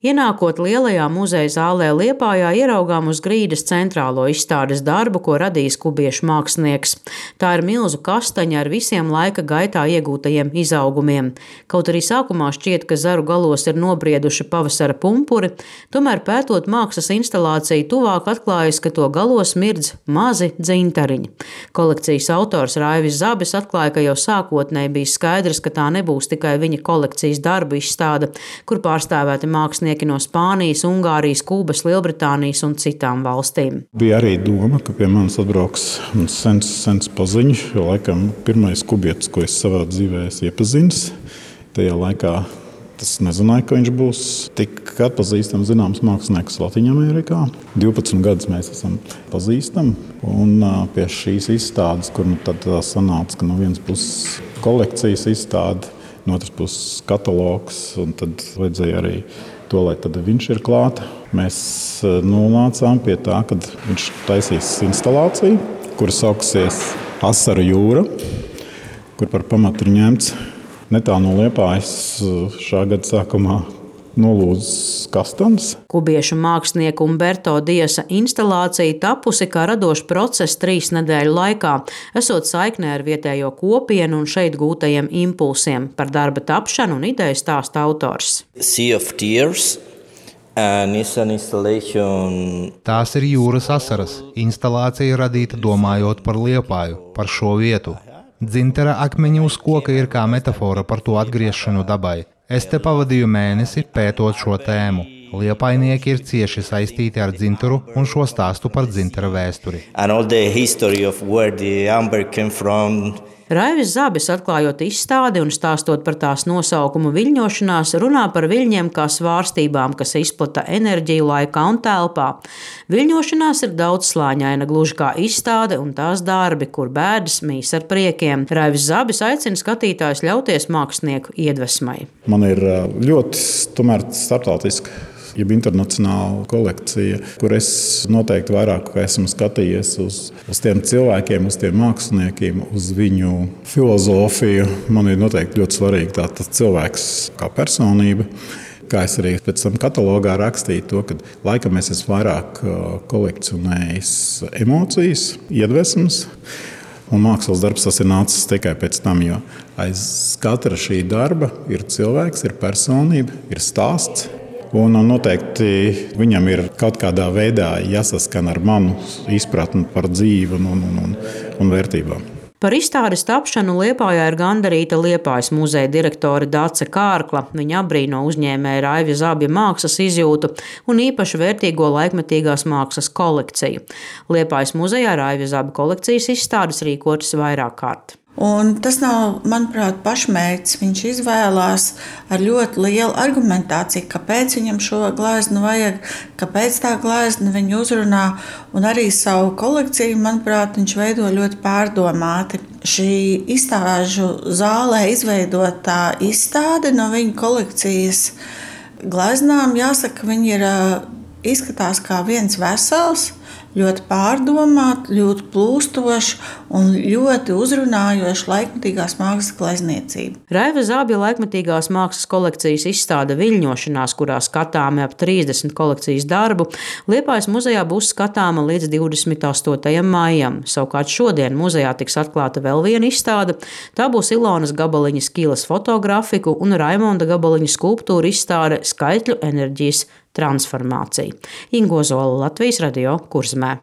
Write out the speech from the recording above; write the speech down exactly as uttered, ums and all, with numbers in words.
Ienākot lielajā muzeja zālē Liepājā, ieraugām uz grīdas centrālo izstādes darbu, ko radījis kubiešu mākslinieks. Tā ir milzu kastaņa ar visiem laika gaitā iegūtajiem izaugumiem. Kaut arī sākumā šķiet, ka zaru galos ir nobrieduši pavasara pumpuri, tomēr pētot mākslas instalāciju tuvāk atklājas, ka to galos mirdz mazi dzintariņi. Kolekcijas autors Raivis Zabis atklāja, ka jau sākotnēji bija skaidrs, ka tā nebūs tikai viņa kolekcijas darbu izstāde, kur pārstāvēti mākslinieki no Spānijas, Ungārijas, Kubas, Lielbritānijas un citām valstīm. Bija arī doma, ka pie manis atbrauks sens, sens paziņš, jo laikam pirmais kubietis, ko es savā dzīvē esmu iepazinis. Tajā laikā tas nezināja, ka viņš būs tik atpazīstams zināms mākslinieks Latvijā. divpadsmit gadus mēs esam pazīstami. Un pie šīs izstādes, kur nu tad sanāca, ka no vienas puses kolekcijas izstāde, no otras puses katalogs, un tad vajadzēja arī to, lai tad viņš ir klāta. Mēs nonācām pie tā, ka viņš taisīs instalāciju, kura sauksies Asaru jūra, kur par pamatu ir ņemts netālu no Liepājas šā gada sākumā nolūdzis kastans. Kubiešu mākslinieka Umberto Diasa instalācija tapusi kā radošs process trīs nedēļu laikā, esot saiknē ar vietējo kopienu un šeit gūtajiem impulsiem. Par darba tapšanu un ideju stāsta autors. Sea of Tears. Tās ir jūras asaras. Instalācija radīta domājot par Liepāju, par šo vietu. Dzintara akmeņi uz koka ir kā metafora par to atgriešanu dabai. Es te pavadīju mēnesi pētot šo tēmu. Liepainieki ir cieši saistīti ar dzintaru un šo stāstu par dzintara vēsturi. Raivis Zabis, atklājot izstādi un stāstot par tās nosaukumu viļņošanās, runā par viļņiem kā svārstībām, kas izplata enerģiju laikā un telpā. Viļņošanās ir daudzslāņaina, gluži kā izstāde un tās darbi, kur bēdas mīs ar priekiem. Raivis Zabis aicina skatītājus ļauties mākslinieku iedvesmai. Man ir ļoti tomēr starptautiska, jeb internacionāla kolekcija, kur es noteikti vairāk esmu skatījies uz, uz tiem cilvēkiem, uz tiem māksliniekiem, uz viņu filozofiju. Man ir noteikti ļoti svarīgi tā, tas cilvēks kā personība. Kā es arī pēc tam katalogā rakstīju to, ka laikam es esmu vairāk kolekcionējis emocijas, iedvesmas. Un mākslas darbs tas ir nācis tikai pēc tam, jo aiz katra šī darba ir cilvēks, ir personība, ir stāsts. Un noteikti viņam ir kaut kādā veidā jāsaskan ar manu izpratni par dzīvi un, un, un, un vērtībām. Par izstādes tapšanu Liepājā ir gandarīta Liepājas muzeja direktore Dace Kārkla. Viņa apbrīno uzņēmēja Raiva Zabja mākslas izjūtu un īpaši vērtīgo laikmetīgās mākslas kolekciju. Liepājas muzejā Raiva Zabja kolekcijas izstādes rīkotas vairāk kārt. Un tas nav, manuprāt, pašmērķis. Viņš izvēlās ar ļoti lielu argumentāciju, kāpēc viņam šo gleznu vajag, kāpēc tā glezna viņu uzrunā. Un arī savu kolekciju, manuprāt, viņš veido ļoti pārdomāti. Šī izstāžu zālē izveidotā izstāde no viņa kolekcijas gleznām, jāsaka, viņi ir, izskatās kā viens vesels, ļoti pārdomāti, ļoti plūstoši un ļoti uzrunājoši laikmetīgās mākslas glezniecība. Raiva Zabja laikmetīgās mākslas kolekcijas izstāde Viļņošanās, kurā skatāmi ap trīsdesmit kolekcijas darbu, Liepājas muzejā būs skatāma līdz divdesmit astotajam maijam. Savukārt šodien muzejā tiks atklāta vēl viena izstāde. Tā būs Ilonas Gabaliņas Kilas fotografiku un Raimonda Gabaliņa skulptūra izstāde Skaitļu enerģijas transformācija. Ingo Zola, Latvijas radio, Kurzeme.